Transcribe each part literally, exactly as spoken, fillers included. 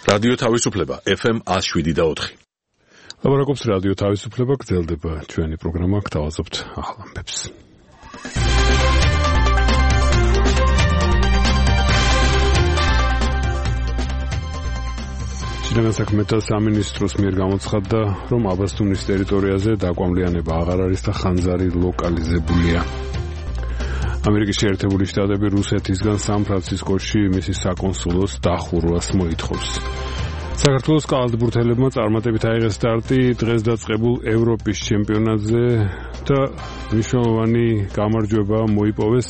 რადიო თავისუფლება ეფ ემ one oh seven point four. ლაპარაკობს რადიო თავისუფლება, გრძელდება ჩვენი პროგრამა, გთავაზობთ ახალ ამბებს. შინაგან საქმეთა სამინისტროს მიერ გამოცხადდა, რომ აბასთუმნის ტერიტორიაზე დაკვამლიანება აღარ არის და ხანძარი ლოკალიზებულია. ამერიკის შეერთებული შტატები რუსეთისგან სან-ფრანცისკოში მისი საკონსულოს დახურვას მოითხოვს. საქართველოს კალათბურთელებმა წარმატებით აიღეს სტარტი დღეს დაწყებულ ევროპის ჩემპიონატზე და მნიშვნელოვანი გამარჯვება მოიპოვეს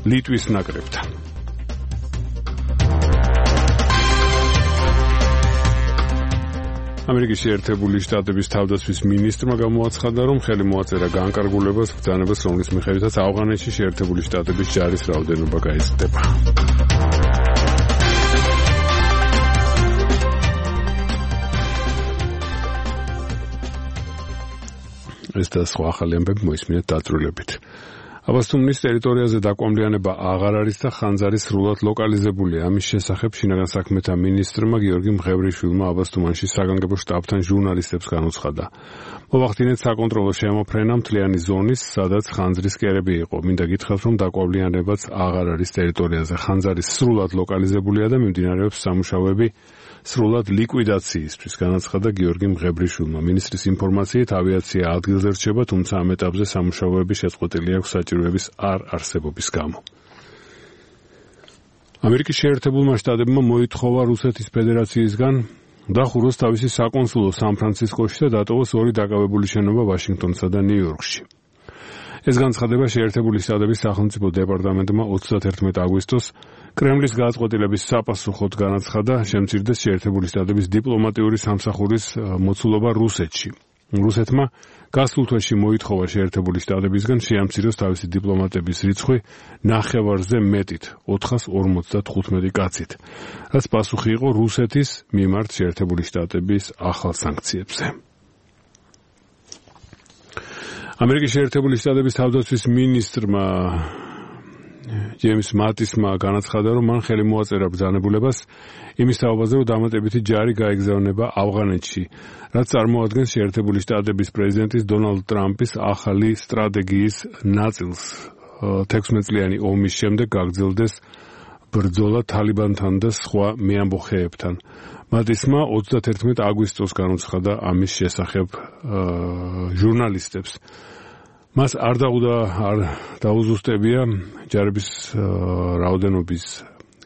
ლიტვის ნაკრებთან. ამერიკის შეერთებული შტატების თავდაცვის მინისტრმა გამოაცხადა, რომ ხელი მოაწერა განკარგულებას ბრძანებას, რომლის მიხედვითაც ავღანეთში შეერთებული შტატების ჯარის რაოდენობა გაიზრდება. ეს და სხვა ახალი ამბები მოისმინეთ დაწვრილებით. აბასთუმნის ტერიტორიაზე დაკვამლიანება აღარ არის და ხანძარი სრულად ლოკალიზებულია. ამის შესახებ შინაგან საქმეთა მინისტრმა გიორგი მღევრიშვილმა აბასთუმანში საგანგებო შტაბთან ჟურნალისტებს განუცხადა. მოვახდინეთ საკონტროლო შემოფრენა მთლიანი ზონის, სადაც ხანძრის კერები იყო. მინდა გითხრათ, რომ დაკვამლიანებაც აღარ არის ტერიტორიაზე. ხანძარი სრულად ლოკალიზებულია და მიმდინარეობს სამუშაოები სრულად ლიკვიდაციისთვის, განაცხადა გიორგი მღევრიშვილმა. მინისტრის ინფორმაციით ავიაცია ადგილზე რჩება, თუმცა ამ ეტაპზე სამუშაოები შეწყვეტილი აქვს საჭიროების არ არსებობის გამო. ამერიკის შეერთებულმა შტატებმა მოითხოვა რუსეთის ფედერაციისგან დახუროს თავისი საკონსულო სან-ფრანცისკოში და დატოვოს ორი დაკავებული შენობა ვაშინგტონსა და ნიუ-იორკში. ეს განცხადება შეერთებული შტატების სახელმწიფო დეპარტამენტმა ოცდაათერთმეტი აგვისტოს კრემლის გადაწყვეტილების საპასუხოდ განაცხადა, შემცირდეს შეერთებული შტატების დიპლომატიური სამსახურის მოცულობა რუსეთში. რუსეთმა გასულ თვეში მოითხოვა შეერთებული შტატებისგან შეამციროს თავისი დიპლომატების რიცხვი ნახევარზე მეტით, ოთხას ორმოცდათხუთმეტი კაცით, რაც პასუხი იყო რუსეთის მიმართ შეერთებული შტატების ახალ სანქციებზე. ამერიკის შეერთებული შტატების თავდაცვის მინისტრმა ჯეიმს მატისმა განაცხადა, რომ მან ხელი მოაწერა ბრძანებულებას იმის თაობაზე, რომ დამატებითი ჯარი გაეგზავნება ავღანეთში, რაც წარმოადგენს შეერთებული შტატების პრეზიდენტის დონალდ ტრამპის ახალი სტრატეგიის ნაწილს. თექვსმეტწლიანი ომის შემდეგ გაგრძელდეს ბრძოლა თალიბანთან და სხვა მეამბოხეებთან. მატისმა ოცდაათერთმეტი აგვისტოს განუცხადა ამის შესახებ ჟურნალისტებს. მას არ დაუდა არ დაუზუსტებია ჯარების რაოდენობის,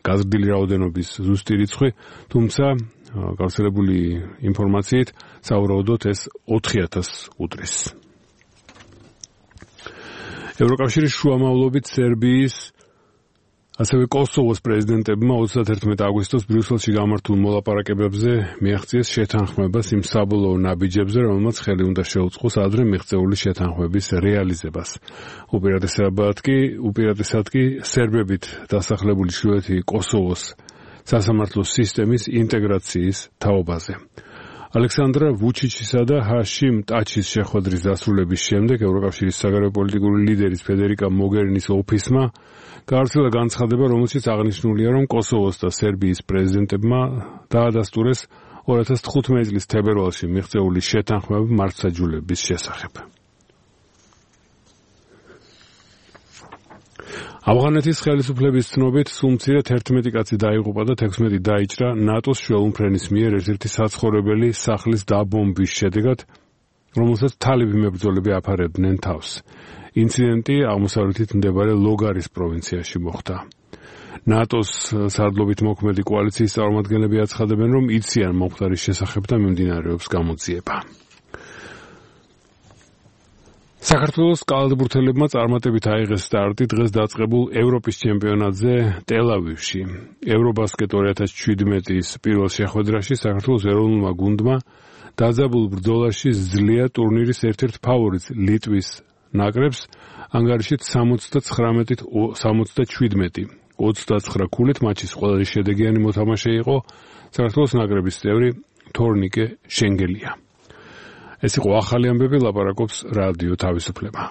გაზრდილი რაოდენობის ზუსტი რიცხვი, თუმცა გავრცელებული ინფორმაციით სავარაუდოდ ეს ოთხი ათასს უდრის. ევროკავშირის შუამავლობით სერბიის ასევე კოსოვოს პრეზიდენტებმა ოცდაათერთმეტი აგვისტოს ბრიუსელში გამართულ მოლაპარაკებებზე მიაღწიეს შეთანხმებას იმ საბოლოო ნაბიჯებზე, რომელმაც ხელი უნდა შეუწყოს ადრე მიღწეული შეთანხმების რეალიზებას. უპირატესად კი, უპირატესად კი სერბებით დასახლებული ჩრდილოეთი კოსოვოს სასამართლო სისტემის ინტეგრაციის თაობაზე. ალექსანდრა ვუჩიჩისა და ჰაშიმ ტაჩის შეხვედრის დასრულების შემდეგ ევროკავშირის საგარეო პოლიტიკური ლიდერის ფედერიკა მოგერინის ოფისმა გავრცელა განცხადება, რომელშიც აღნიშნულია, რომ კოსოვოს და სერბიის პრეზიდენტებმა დაადასტურეს ორი ათას თხუთმეტი წლის თებერვალში მიღწეული შეთანხმება მართლმსაჯულების შესახებ. ავღანეთის ხელისუფლების ცნობით სულ მცირედ ერთმეტი კაცი დაიღუპა და თექვსმეტი დაიჭრა ნატოს შუალუმფრენის მიერ ერთ-ერთი საცხოვრებელი სახლის დაბომბვის შედეგად, რომელსაც თალიბი მებრძოლები აფარებდნენ თავს. ინციდენტი აღმოსავლეთით მდებარე ლოგარის პროვინციაში მოხდა. ნატოს სარდლობით მოქმედი კოალიციის წარმომადგენლები აცხადებენ, რომ იციან მომხდარის შესახებ და მიმდინარეობს გამოძიება. საქართველოს კალათბურთელებმა წარმატებით აიღეს სტარტი დღეს დაწყებულ ევროპის ჩემპიონატზე ტელ-ავივში. ევრობასკეტ ორი ათას შვიდმეტის პირველ შეხვედრაში საქართველოს ეროვნულმა გუნდმა დაძაბულ ბრძოლაში ზძლია ტურნირის ერთ-ერთ ფავორიტს ლიტვის ნაკრებს ანგარიშით სამოცდათხრამეტით სამოცდაშვიდმეტი, ოცდაცხრა ქულით მატჩის ყველაზე შედეგიანი მოთამაშე იყო საქართველოს ნაკრების წევრი თორნიკე შენგელია. ეს იყო ახალი ამბები, ლაპარაკობს რადიო თავისუფლება.